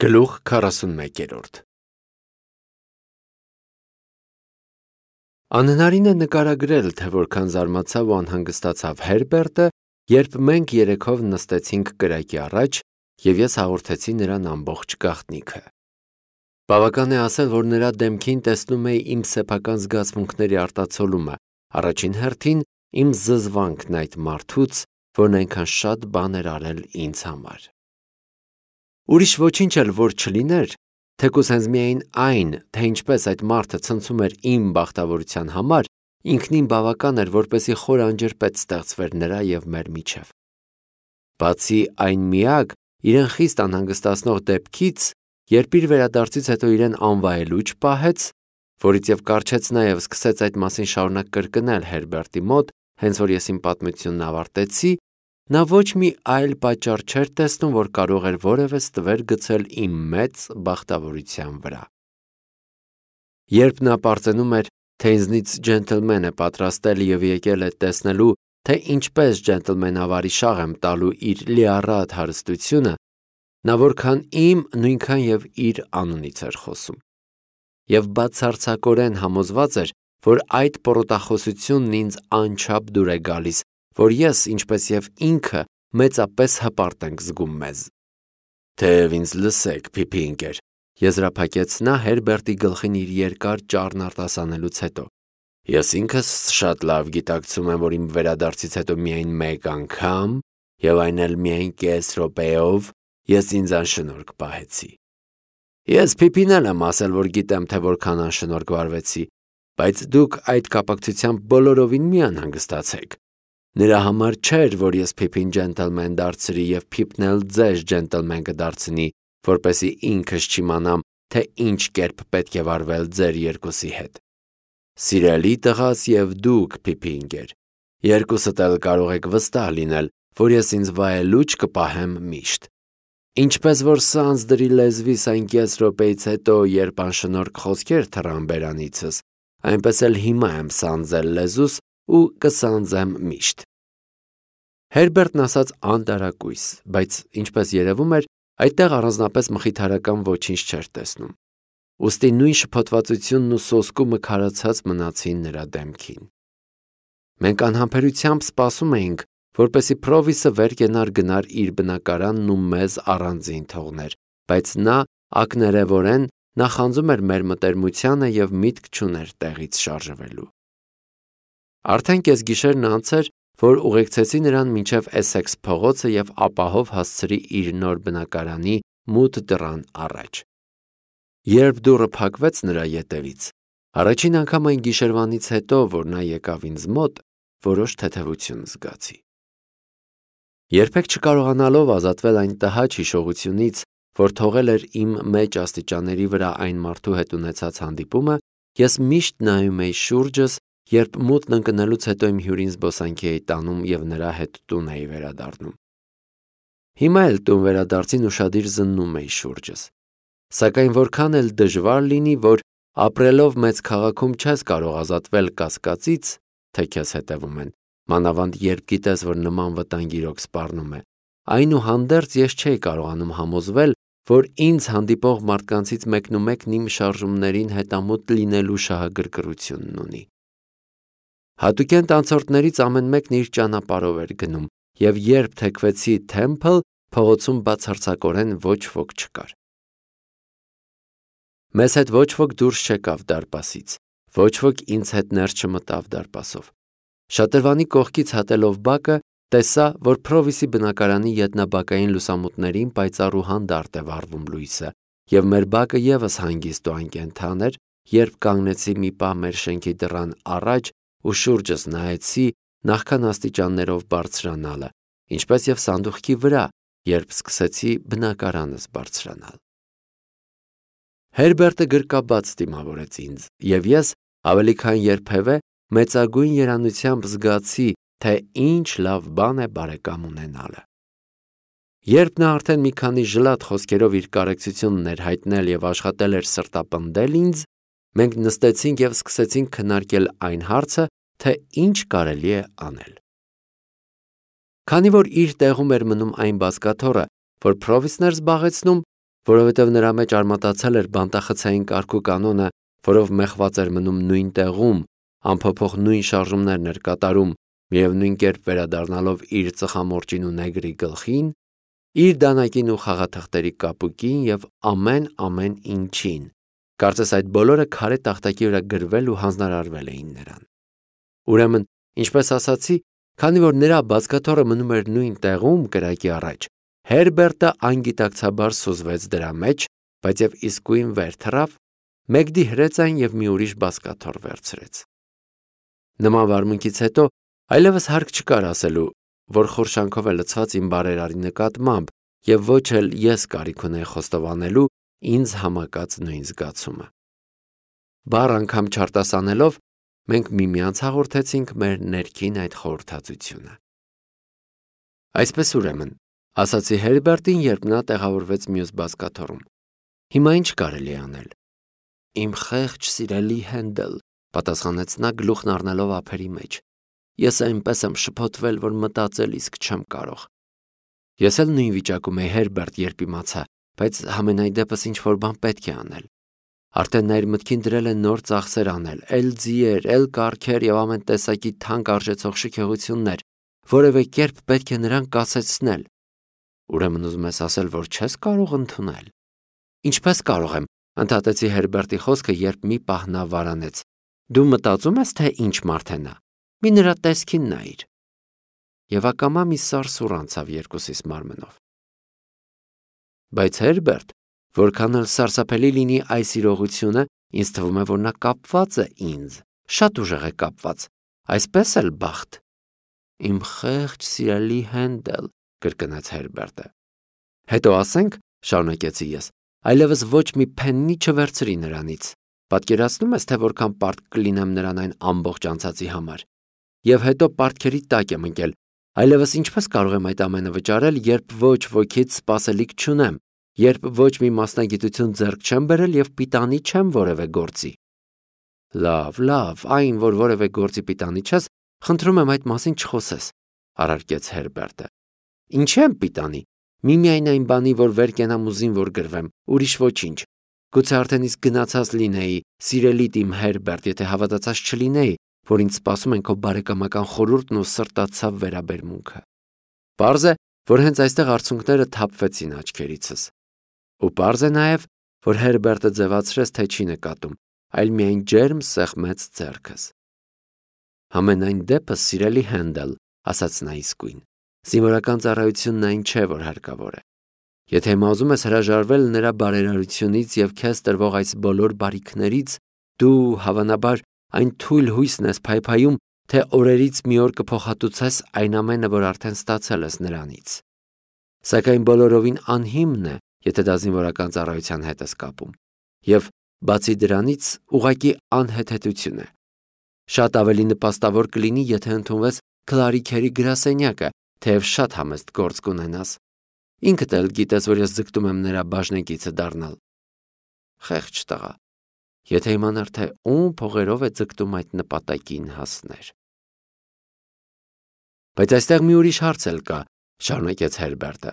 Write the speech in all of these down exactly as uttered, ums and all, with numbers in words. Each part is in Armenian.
Գլուխ քառասունմեկերորդ Անհնարին է նկարագրել, թե որքան զարմացավ ու անհանգստացավ Հերբերտը, երբ մենք երեքով նստեցինք կրակի առաջ և ես հաղորդեցի նրան ամբողջ գաղտնիքը։ Բավական է ասել, որ նրա դեմքին տեսնում էի իմ սեփական զգացմունքների արտացոլումը, առաջին հերթին իմ զզվանքն այդ մարդուց, որն այնքան շատ բան էր արել ինձ համար։ Ուրիշ ոչինչ էլ որ չլիներ, թեկուզ հենց միայն այն, թե ինչպես այդ մարդը ցնցում էր իմ բախտավորության համար, ինքնին բավական էր, որպեսզի խոր անջրպետ ստեղծվեր նրա և մեր միջև։ Բացի այն միակ, իրեն խիստ անհանգստացնող դեպքից, երբ իր վերադարձից հետո իրեն անվայելուչ պահեց, որից և կառչեց նաև սկսեց այդ մասին շարունակ կրկնել Հերբերտի մոտ, հենց որ ես իմ պատմությունն ավարտեցի, նա ոչ մի այլ պատճառ չէր տեսնում, որ կարող էր որևէ ստվեր գցել իմ մեծ բախտավորության վրա։ Երբ նա պարծենում էր, թե ինձնից ջենտլմեն է պատրաստել և եկել է տեսնելու, թե ինչպես ջենտլմենավարի շաղ եմ տալու իր լիառատ հարստությունը, նա որքան իմ, նույնքան և իր անունից էր խոսում։ Եվ բացարձակորեն համոզված էր, որ այդ պռոտախոսությունն ինձ անչափ դուր է գալիս, որ ես, ինչպես և ինքը, մեծապես հպարտ ենք զգում մեզ։ Թեև ինձ լսեք, Փիփի ընկեր, եզրափակեց նա Հերբերտի գլխին իր երկար ճառն արտասանելուց հետո, ես ինքս շատ լավ գիտակցում եմ, որ իմ վերադարձից հետո միայն մեկ անգամ, և այն էլ միայն կես րոպեով, ես ինձ անշնորհք պահեցի։ Ես Փիփին էլ եմ ասել, որ գիտեմ, թե որքան անշնորհք վարվեցի, բայց դուք այդ կապակցությամբ բոլորովին մի անհանգստացեք։ Նրա համար չէր, որ ես Փիփին ջենտլմեն դարձրի և Փիփն էլ ձեզ ջենտլմեն կդարձնի, որպեսզի ինքս չիմանամ, թե ինչ կերպ պետք է վարվել ձեր երկուսի հետ։ Սիրելի տղաս և դուք, Փիփի ընկեր, երկուսդ էլ կարող եք վստահ լինել, որ ես ինձ վայելուչ կպահեմ միշտ։ Ինչպես որ սանձ դրի լեզվիս այն կես րոպեից հետո, երբ անշնորհք խոսքեր թռան բերանիցս, այնպես էլ հիմա եմ սանձել լեզուս ու կսանձեմ միշտ։ Հերբերտն ասաց անտարակույս, բայց ինչպես երևում էր, այդտեղ առանձնապես մխիթարական ոչինչ չէր տեսնում։ Ուստի նույն շփոթվածությունն ու սոսկումը քարացած մնացին նրա դեմքին։ Մենք անհամբերությամբ սպասում էինք, որպեսզի Փրովիսը վեր կենար գնար իր բնակարանն ու մեզ առանձին թողներ, բայց նա ակներևորեն նախանձում էր մեր մտերմությանը և միտք չուներ տեղից շարժվելու։ Արդեն կեսգիշերն անց էր, որ ուղեկցեցի նրան մինչև Էսեքս փողոցը և ապահով հասցրի իր նոր բնակարանի մութ դռան առաջ։ Երբ դուռը փակվեց նրա ետևից, առաջին անգամ այն գիշերվանից հետո, որ նա եկավ ինձ մոտ, որոշ թեթևություն զգացի։ Երբեք չկարողանալով ազատվել այն տհաճ հիշողությունից, որ թողել էր իմ մեջ աստիճանների վրա այն մարդու հետ ունեցած հանդիպումը, ես միշտ նայում էի շուրջս, երբ մութն ընկնելուց հետո իմ հյուրին զբոսանքի էի տանում և նրա հետ տուն էի վերադառնում։ Հիմա էլ տուն վերադարձին ուշադիր զննում էի շուրջս։ Սակայն որքան էլ դժվար լինի, որ ապրելով մեծ քաղաքում չես կարող ազատվել կասկածից, թե քեզ հետևում են, մանավանդ երբ գիտես, որ նման վտանգ իրոք սպառնում է, այնուհանդերձ ես չէի կարողանում համոզվել, որ ինձ հանդիպող մարդկանցից մեկնումեկն իմ շարժումներին հետամուտ լինելու շահագրգռությունն ունի։ Հատուկենտ անցորդներից ամեն մեկն իր ճանապարհով էր գնում, և երբ թեքվեցի Թեմփլ, փողոցում բացարձակորեն ոչ ոք չկար։ Մեզ հետ ոչ ոք դուրս չեկավ դարպասից, ոչ ոք ինձ հետ ներս չմտավ դարպասով։ Շատրվանի կողքից հատելով բակը, տեսա, որ Փրովիսի բնակարանի ետնաբակային լուսամուտներին պայծառ ու հանդարտ է վառվում լույսը, և մեր բակը ևս հանգիստ ու անկենդան էր, երբ կանգնեցի մի պահ մեր շենքի դռան առաջ ու շուրջս նայեցի նախքան աստիճաններով բարձրանալը, ինչպես և սանդուղքի վրա, երբ սկսեցի բնակարանս բարձրանալ։ Հերբերտը գրկաբաց դիմավորեց ինձ, և ես ավելի քան երբևէ մեծագույն երանությամբ զգացի, թե ինչ լավ բան է բարեկամ ունենալը։ Երբ նա արդեն մի քանի ժլատ խոսքերով իր կարեկցությունն էր հայտնել և աշխատել էր սրտապնդել ինձ, մենք նստեցինք և սկսեցինք քննարկել այն հարցը, թե ինչ կարելի է անել։ Քանի որ իր տեղում էր մնում այն բազկաթոռը, որ Փրովիսն էր զբաղեցնում, որովհետև նրա մեջ արմատացել էր բանտախցային կարգու կանոնը, որով մեխված էր մնում նույն տեղում, անփոփոխ նույն շարժումներն էր կատարում, միևնույն կերպ վերադառնալով իր ծխամորճին ու նեգրի գլխին, իր դանակին ու խաղաթղթերի կապուկին և ամեն-ամեն ինչին, կարծես այդ բոլորը քարե տախտակի վրա գրվել ու հանձնարարվել էին նրան։ Ուրեմն, ինչպես ասացի, քանի որ նրա բազկաթոռը մնում էր նույն տեղում կրակի առաջ, Հերբերտը անգիտակցաբար սուզվեց դրա մեջ, բայց և իսկույն վեր թռավ, Մեգդի հրեց այն և մի ուրիշ բազկաթոռ վերցրեց։ Նման վարմունքից հետո այլևս հարկ չկար ասելու, որ խորշանքով է լցված իմ բարերարի նկատմամբ և ոչ էլ ես կարիք ունեի խոստովանելու ինձ համակած նույն զգացումը։ Բառ անգամ չարտասանելով, մենք միմյանց հաղորդեցինք մեր ներքին այդ խորհրդածությունը։ Այսպես ուրեմն, ասացի Հերբերտին, երբ նա տեղավորվեց մյուս բազկաթոռում, հիմա ինչ կարելի է անել։ Իմ խեղճ սիրելի Հենդել, պատասխանեց նա գլուխն առնելով ափերի մեջ, ես այնպես եմ շփոթվել, որ մտածել իսկ չեմ կարող։ Ես էլ նույն վիճակում էի, Հերբերտ, երբ իմացա, բայց համենայն դեպս ինչ-որ բան պետք է անել։ Արդեն նա իր մտքին դրել է նոր ծախսեր անել, էլ ձիեր, էլ կառքեր և ամեն տեսակի թանկ արժեցող շքեղություններ, որևէ կերպ պետք է նրան կասեցնել։ Ուրեմն ուզում ես ասել, որ չես կարող ընդունել։ Ինչպես կարող եմ, ընդհատեցի Հերբերտի խոսքը, երբ մի պահ նա վարանեց։ Դու մտածում ես, թե ինչ մարդ է նա։ Մի նրա տեսքին նայիր։ Եվ ակամա մի սարսուռ անցավ երկուսիս մարմնով։ Բայց Հերբերտ, որքան էլ սարսափելի լինի այս իրողությունը, ինձ թվում է, որ նա կապված է ինձ, շատ ուժեղ է կապված, այսպես էլ բախտ։ Իմ խեղճ սիրելի Հենդել, կրկնեց Հերբերտը։ Հետո ասենք, շարունակեցի ես, այլևս ոչ մի փեննի չվերցրի նրանից։ Պատկերացնում ես, թե որքան պարտք կլինեմ նրան այն ամբողջ անցածի համար։ Եվ հետո պարտքերի տակ եմ ընկել, այլևս ինչպես կարող եմ այդ ամենը վճարել, երբ ոչ ոքից սպասելիք չունեմ, երբ ոչ մի մասնագիտություն ձեռք չեմ բերել և պիտանի չեմ որևէ գործի։ Լավ, լավ, այն, որ որևէ գործի պիտանի չես, խնդրում եմ այդ մասին չխոսես, առարկեց Հերբերտը։ Ինչի՞ եմ պիտանի։ Միմիայն այն բանի, որ վեր կենամ ու զինվոր գրվեմ, ուրիշ ոչինչ։ Գուցե արդեն իսկ գնացած լինեի, սիրելիդ իմ Հերբերտ, եթե հավատացած չլինեի, որ ինձ սպասում են քո բարեկամական խորհուրդն ու սրտացավ վերաբերմունքը։ Պարզ է, որ հենց այստեղ արցունքները թափվեցին աչքերիցս։ Ու պարզ է նաև, որ Հերբերտը ձևացրեց, թե չի նկատում, այլ միայն ջերմ սեղմեց ձեռքս։ Համենայն դեպս, սիրելի Հենդել, ասաց նա իսկույն, զինվորական ծառայությունն այն չէ, որ հարկավոր է։ Եթե հիմա ուզում ես հրաժարվել նրա բարերարությունից և քեզ տրվող այս բոլոր բարիքներից, դու, հավանաբար, այն թույլ հույսն ես փայփայում, թե օրերից մի օր կփոխհատուցես այն ամենը, որ արդեն ստացել ես նրանից։ Սակայն բոլորովին անհիմն է, եթե դա զինվորական ծառայության հետ ես կապում։ Եվ բացի դրանից, ուղղակի անհեթեթություն է։ Շատ ավելի նպաստավոր կլինի, եթե ընդունվես Քլարիքերի գրասենյակը, թեև շատ համեստ գործ կունենաս։ Ինքդ էլ գիտես, որ ես ձգտում եմ նրա բաժնեկիցը դառնալ։ Խեղճ տղա, եթե իմանար, թե ում փողերով է ձգտում այդ նպատակին հասներ։ Բայց այստեղ մի ուրիշ հարց էլ կա, շարունակեց Հերբերտը։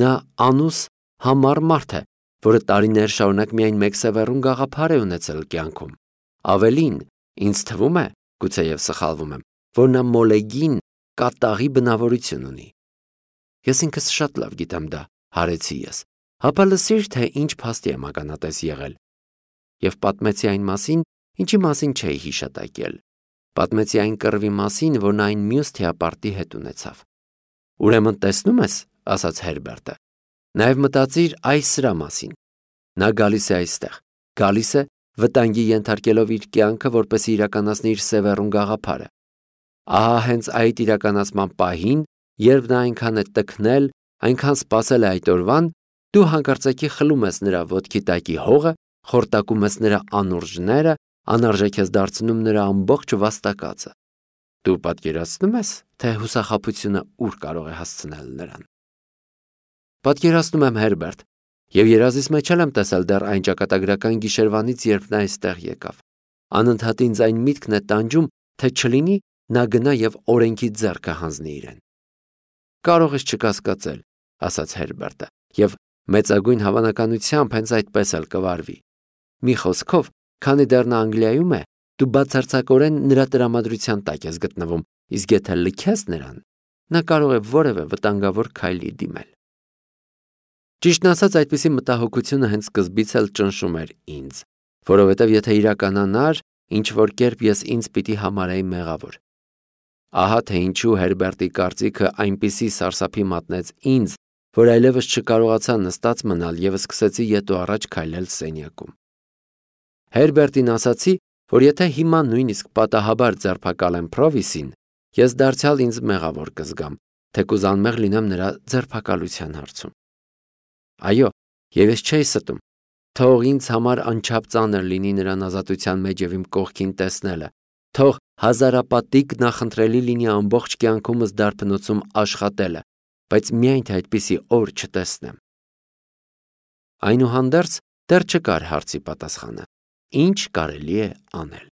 Նա անուս համառ մարդ է, որը տարիներ շարունակ միայն մեկ սևեռուն գաղափար է ունեցել կյանքում։ Ավելին, ինձ թվում է, գուցեև սխալվում եմ, որ նա մոլեգին կատաղի բնավորություն ունի։ Ես ինքս շատ լավ գիտեմ դա, հարեցի ես, հապա լսիր, թե ինչ փաստի եմ ականատես եղել։ Եվ պատմեցի այն մասին, ինչի մասին չէի հիշատակել։ Պատմեցի այն կռվի մասին, որ նա այն մյուս թիապարտի հետ ունեցավ։ Ուրեմն տեսնում ես, ասաց Հերբերտը, նաև մտածիր այս սրա մասին։ Նա գալիս է այստեղ, գալիս է վտանգի ենթարկելով իր կյանքը, որպեսզի իրականացնի իր սևեռուն գաղափարը։ Ահա հենց այդ իրականացման պահին, երբ նա այնքան է տքնել, այնքան սպասել է այդ օրվան, դու հանկարծակի խլում ես նրա ոտքի տակի հողը, խորտակում ես նրա անուրջները, անարժեք ես դարձնում նրա ամբողջ վաստակածը։ Դու պատկերացնում ես, թե հուսախաբությունը ուր կարող է հասցնել նրան։ Պատկերացնում եմ, Հերբերտ, և երազիս մեջ էլ եմ տեսել դեռ այն ճակատագրական գիշերվանից, երբ նա այստեղ եկավ։ Անընդհատ ինձ այն միտքն է տանջում, թե չլինի նա գնա և օրենքի ձեռքը հանձնի իրեն։ Կարող ես չկասկածել, ասաց Հերբերտը, և Մեծագույն հավանականությամբ հենց այդպես էլ կվարվի։ Մի խոսքով, քանի դեռ նա Անգլիայում է, դու բացարձակորեն նրա տրամադրության տակ ես գտնվում, իսկ եթե լքես նրան, նա կարող է որևէ վտանգավոր քայլի դիմել։ Ճիշտն ասած, այդպիսի մտահոգությունը հենց սկզբից էլ ճնշում էր ինձ, որովհետև եթե իրականանար, ինչ որ կերպ ես ինձ պիտի համարեի մեղավոր։ Ահա թե ինչու Հերբերտի կարծիքը այնպիսի սարսափի մատնեց ինձ, որ այլևս չկարողացա նստած մնալ և սկսեցի ետ ու առաջ քայլել սենյակում։ Հերբերտին ասացի, որ եթե հիմա նույնիսկ պատահաբար ձերբակալեմ Փրովիսին, ես դարձյալ ինձ մեղավոր կզգամ, թեկուզ անմեղ լինեմ նրա ձերբակալության հարցում։ Այո, և ես չէի ստում, թող ինձ համար անչափ ծանր լինի նրան ազատության մեջ և իմ կողքին տեսնելը, թող հազարապատիկ նախընտրելի լինի ամբողջ կյանքումս դարբնոցում աշխատելը, բայց միայն թե այդպիսի օր չտեսնեմ։ Այնուհանդերձ դեռ չկար հարցի պատասխանը. ինչ կարելի է անել։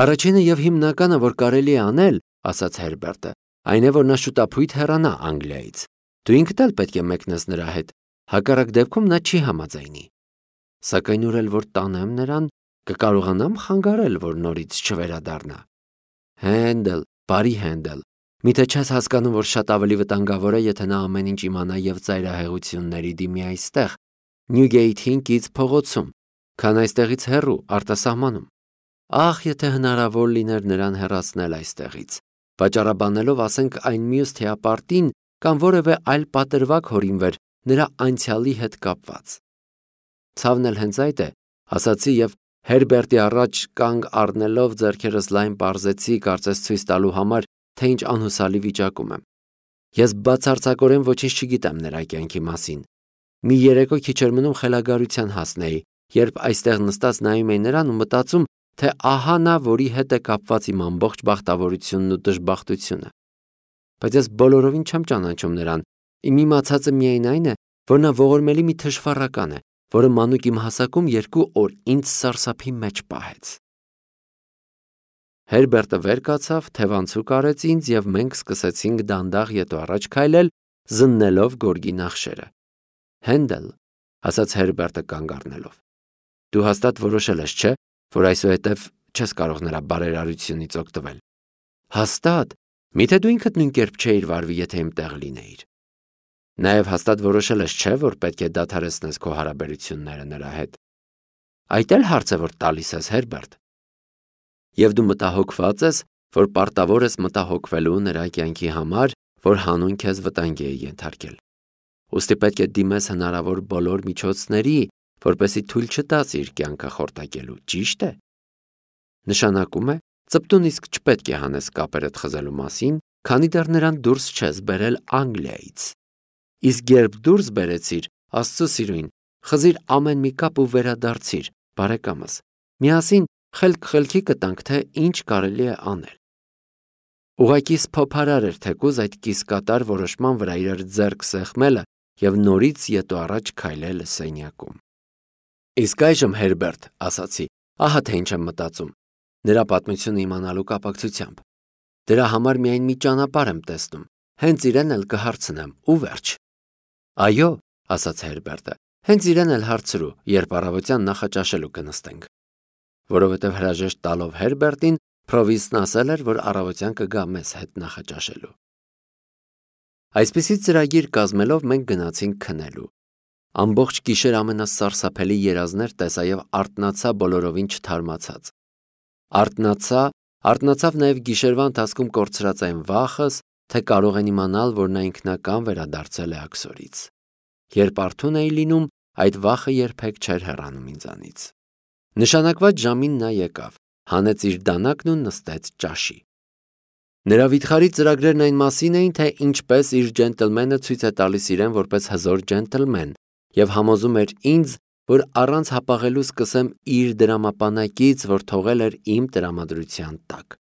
Առաջինը և հիմնականը, որ կարելի է անել, ասաց Հերբերտը, այն է, որ նա շուտապույտ հեռանա Անգլիայից։ Դու ինքդ էլ պետք է մեկնես նրա հետ, հակառակ դեպքում նա չի համաձայնի։ Սակայն ուր էլ որ տանեմ նրան, կկարողանամ խանգարել, որ նորից չվերադառնա։ Հենդել, բարի Հենդել, միթե չես հասկանում, որ շատ ավելի վտանգավոր է, եթե նա ամեն ինչ իմանա և ծայրահեղությունների դիմի այստեղ, Նյուգեյթին կից փողոցում, քան այստեղից հեռու, արտասահմանում։ Ախ, եթե հնարավոր լիներ նրան հեռացնել այստեղից, վաճառաբանելով, ասենք, այն մյուս թեապարտին կամ որևէ այլ պատրվակ հորինվեր նրա անցյալի հետ կապված։ Ցավն էլ հենց այդ է, ասացի և Հերբերտի առաջ կանգ առնելով ձեռքերս լայն պարզեցի, կարծես ցույց տալու համար, թե ինչ անհուսալի վիճակում եմ։ Ես բացարձակորեն ոչինչ չգիտեմ նրա կյանքի մասին։ Մի երեկո քիչ էր մնում խելագարության հասնեի, երբ այստեղ նստած նայում էի նրան ու մտածում, թե ահա նա, որի հետ է կապված իմ ամբողջ բախտավորությունն ու դժբախտությունը։ Բայց ես բոլորովին չեմ ճանաչում նրան, իմ իմացածը միայն այն է, որ նա ողորմելի մի թշվառական է, որը մանուկ իմ հասակում երկու օր ինձ սարսափի մեջ պահեց։ Հերբերտը վեր կացավ, թևանցուկ արեց ինձ և մենք սկսեցինք դանդաղ ետ ու առաջ քայլել, զննելով գորգի նախշերը։ Հենդել, ասաց Հերբերտը կանգ առնելով, դու հաստատ որոշել ես, չէ՞, որ այսուհետև չես կարող նրա բարերարությունից օգտվել։ Հաստատ, միթե դու ինքդ նույն կերպ չէիր վարվի, եթե իմ տեղ լինեիր։ Նաև հաստատ որոշել ես, չէ՞, որ պետք է դադարեցնես քո հարաբերությունները նրա հետ։ Այդ էլ հարց է, որ տալիս ես, Հերբերտ։ Եվ դու մտահոգված ես, որ պարտավոր ես մտահոգվելու նրա կյանքի համար, որ հանուն քեզ վտանգի է ենթարկել։ Ուստի պետք է դիմես հնարավոր բոլոր միջոցների, որպեսզի թույլ չտաս իր կյանքը խորտակելու, ճիշտ է։ Նշանակում է, ծպտուն իսկ չպետք է հանես կապերդ խզելու մասին, քանի դեռ նրան դուրս չես բերել Անգլիայից։ Իսկ երբ դուրս բերեցիր, Աստծո սիրուն, խզիր ամեն մի կապ ու վերադարձիր, բարեկամս։ Միասին խելք խելքի կտանք, թե ինչ կարելի է անել։ Ուղղակի սփոփարար էր թեկուզ այդ կիսկատար որոշման վրա իրար ձեռք սեղմելը և նորից ետ ու առաջ քայլել սենյակում։ Իսկ այժմ, Հերբերտ, ասացի, ահա թե ինչ եմ մտածում, նրա պատմությունը իմանալու կապակցությամբ։ Դրա համար միայն մի ճանապարհ եմ տեսնում, հենց իրեն էլ կհարցնեմ, ու վերջ։ Այո, ասաց Հերբերտը, հենց իրեն էլ հարցրու, երբ առավոտյան նախաճաշելու կնստենք։ Որովհետև հրաժեշտ տալով Հերբերտին, Փրովիսն ասել էր, որ առավոտյան կգա մեզ հետ նախաճաշելու։ Այսպիսի ծրագիր կազմելով մենք գնացինք քնելու։ Ամբողջ գիշեր ամենասարսափելի երազներ տեսա և արթնացա բոլորովին չթարմացած։ Արթնացա, արթնացավ նաև գիշերվա ընթացքում կորցրած այն վախս, թե կարող են իմանալ, որ նա ինքնական վերադարձել է աքսորից։ Երբ արթուն էի լինում, այդ վախը երբեք չէր հեռանում ինձանից։ Նշանակված ժամին նա եկավ, հանեց իր դանակն ու նստեց ճաշի։ Նրա վիթխարի ծրագրերն այն մասին էին, թե ինչպես իր ջենտլմենը ցույց է տալիս իրեն որպես հզոր ջենտլմեն և համոզում էր ինձ, որ առանց հապաղելու սկսեմ իր դրամապանակից, որ թողել էր իմ տրամադրության տակ։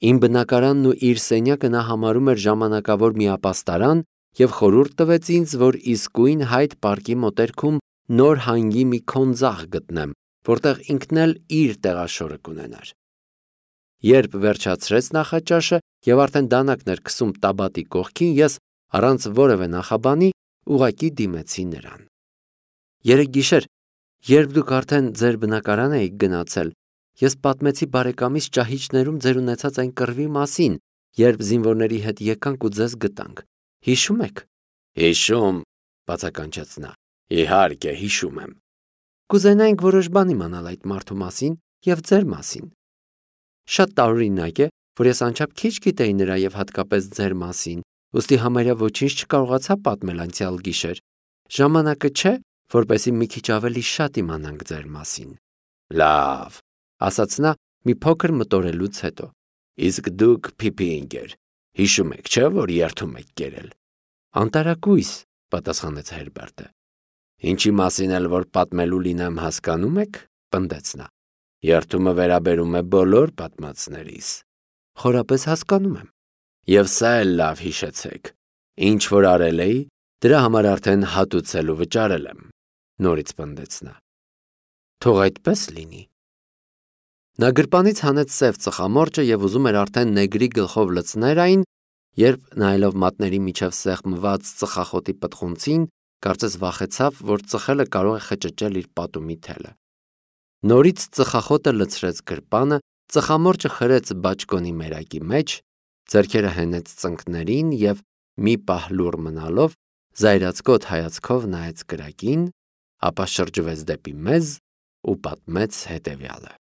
Իմ բնակարանն ու իր սենյակը նա համարում էր ժամանակավոր մի ապաստարան և խորհուրդ տվեց ինձ, որ իսկույն Հայդ պարկի մոտերքում նոր հանգի մի քոնձաղ գտնեմ, որտեղ ինքն էլ իր տեղաշորը կունենար։ Երբ վերջացրեց նախաճաշը և արդեն դանակն էր քսում տաբատի կողքին, ես, առանց որևէ նախաբանի, ուղղակի դիմեցի նրան։ Երեկ գիշեր, երբ դուք արդեն ձեր բնակարան էիք գնացել, ես պատմեցի բարեկամիս ճահիճներում ձեր ունեցած այն կռվի մասին, երբ զինվորների հետ եկանք ու ձեզ գտանք։ Հիշում եք։ Հիշում, բացականչեց նա։ Իհարկե, հիշում եմ։ Կուզենայինք որոշ բան իմանալ այդ մարդու մասին եւ ձեր մասին։ Շատ տարօրինակ է, որ ես անչափ քիչ գիտեի նրա եւ հատկապես ձեր մասին, ուստի համարյա ոչինչ չկարողացա պատմել անցյալ գիշեր։ Ժամանակը չէ, որպեսզի մի քիչ ավելի շատ իմանանք ձեր մասին։ Լավ, ասաց նա մի փոքր մտորելուց հետո։ Իսկ դուք Փիփի ընկեր, հիշում եք, չէ՞ որ երթում եք կերել։ Անտարակույս, պատասխանեց Հերբերտը։ Ինչի մասին էլ որ պատմելու լինեմ հասկանում եք, պնդեց նա։ Երթումը վերաբերում է բոլոր պատմածներիս։ Խորապես հասկանում եմ։ Եվ սա էլ լավ հիշեցեք։ Ինչ որ արել էի, դրա համար արդեն հատուցել ու վճարել եմ, նորից պնդեց նա։ Թող այդպես լինի։ Նա գրպանից հանեց սև ծխամորճը եւ ուզում էր արդեն նեգրի գլխով լցներ այն, երբ նայելով մատների միջև սեղմված ծխախոտի պտղունցին, կարծես վախեցավ, որ ծխելը կարող է խճճել իր պատումի թելը։ Նորից ծխախոտը լցրեց գրպանը, ծխամորճը խրեց բաճկոնի մերակի մեջ, ձեռքերը հենեց ծնկներին եւ մի պահ լուռ մնալով զայրացկոտ հայացքով նայեց կրակին, ապա շրջվեց դեպի մեզ ու պատմեց հետևյալը։